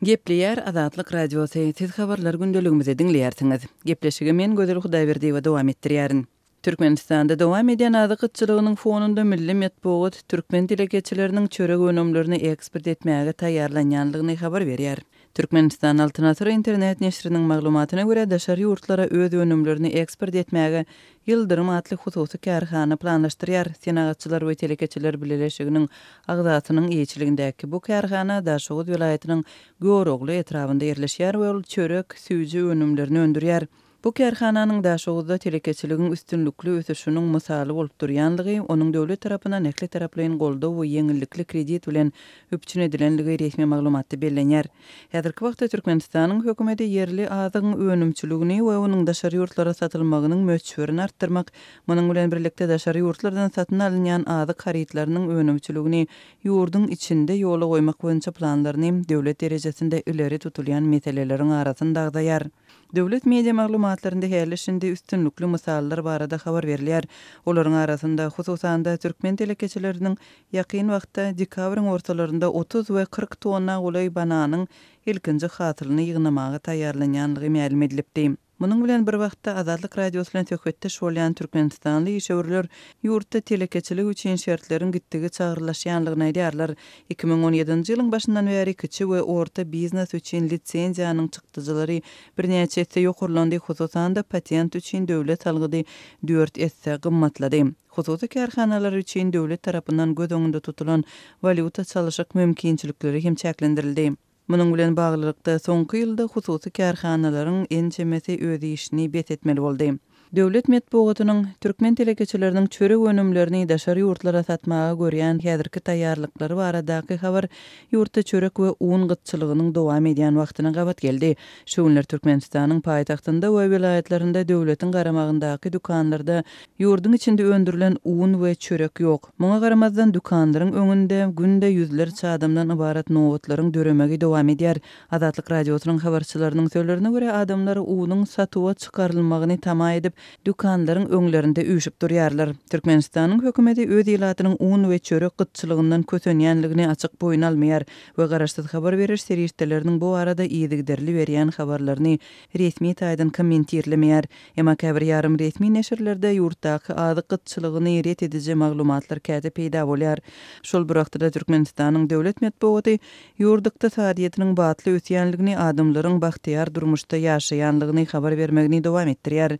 Gepleýär Azatlyk Radiosy, Siz habarlar gündeligimizi diňleýärsiňiz. Gepleşigi men Gözel Hudaýberdiýewa dowam etdirýärin. Türkmenistanda dowam edýän azyk gytçylygynyň fonunda milli metbugat türkmen telekeçileriniň çörek önümlerini eksport etmäge taýýarlanýandygyny habar berýär. Türkmenistan Altyn Asyr internet neşiriniň maglumatyna görä, daşary ýurtlara öz önümlerini eksport etmäge Ýyldyrym atly hususy kärhana planlaşdyrýar. Senagatçylar we telekeçiler bileleşiginiň agzasynyň eýeçiligindäki bu kärhana Daşoguz welaýatynyň Görogly etrabynda ýerleşýär we ol çörek, süýji önümlerini öndürýär. Bu kärhananyň Daşoguzda telekeçiligiň üstünlikli ösüşiniň mysaly bolup durýanlygy, onuň döwlet tarapyndan ähli taraplaýyn goldaw we ýeňillikli kredit bilen üpjün edilenligi resmi maglumatda bellenýär. Häzirki wagtda Türkmenistanyň hökümeti ýerli azygyň önümçiligini we onuň daşary ýurtlara satylmagynyň möçberini artdyrmak, munuň bilen birlikde daşary ýurtlardan satyn alynýan azyk harytlarynyň önümçiligini ýurduň içinde ýola goýmak boýunça planlaryny döwlet derejesinde ileri tutulýan meseleleriň arasynda agzaýar. Döwlet media maglumatlarynda häli-şindi üstünlikli mysallar barada habar berilýär. Olaryň arasynda, hususan-da, türkmen telekeçileriniň ýakyn wagtda, dekabryň ortalarynda 30 we 40 tonna golaý bananyň ilkinji hasylyny ýygnamaga taýýarlanýanlygy mälim edilipdi. Munuň bilen bir wagtda, Azatlyk Radiosy bilen söhbetdeş bolýan türkmenistanly işewürler ýurtda telekeçilik üçin şertleriň gitdigiçe agyrlaşýanlygyny aýdýarlar. 2017-nji ýylyň başyndan bäri kiçi we orta biznes üçin lisenziýanyň çykdajylary birnäçe esse ýokarlandy, hususan-da, patent üçin döwlet salgydy dört esse gymmatlady. Hususy kärhanalar üçin döwlet tarapyndan göz öňünde tutulan walýuta çalyşyk mümkinçilikleri hem çäklendirildi. Munuň bilen baglylykda, soňky ýylda hususy kärhanalaryň ençemesi öz işini bes etmeli boldy. Döwlet metbugatynyň türkmen telekeçileriniň çörek önümlerini daşary ýurtlara satmaga görýän häzirki taýýarlyklary baradaky habar ýurtda çörek we un gytçylygynyň dowam edýän wagtyna gabat geldi. Şu günler Türkmenistanyň paýtagtynda we welaýatlarynda döwletiň garamagyndaky dükanlarda ýurduň içinde öndürilen un we çörek ýok. Muňa garamazdan, dükanlaryň öňünde günde ýüzlerçe adamdan ybarat nobatlaryň döremegi dowam edýär. Azatlyk Radiosynyň habarçylarynyň sözlerine görä, adamlar unuň satuwa çykarylmagyny tama edip, dükanlaryň öňlerinde üýşüp durýarlar. Türkmenistanyň hökümeti öz ilatynyň un we çörek gytçylygyndan kösenýänligini açyk boýun almaýar we garaşsyz habar beriş serişdeleriniň bu barada yzygiderli berýän habarlaryny resmi taýdan kommentirlemeýär. Emma käbir ýarym resmi neşirlerde ýurtdaky azyk gytçylygyny ret ediji maglumatlar käte peýda bolýar. Şol bir wagtda-da Türkmenistanyň döwlet metbugaty ýurt ykdysadyýetiniň batly ösýänligini, adamlaryň bagtyýar durmuşda ýaşaýanlygyny habar bermegini dowam etdirýär.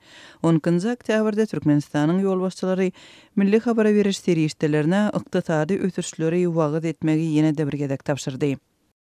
On ikinji oktýabrda Türkmenistanyň ýolbaşçylary milli habara beriş serişdelerine ykdysady ösüşleri wagyz etmegi ýene-de bir gezek tabşyrdy.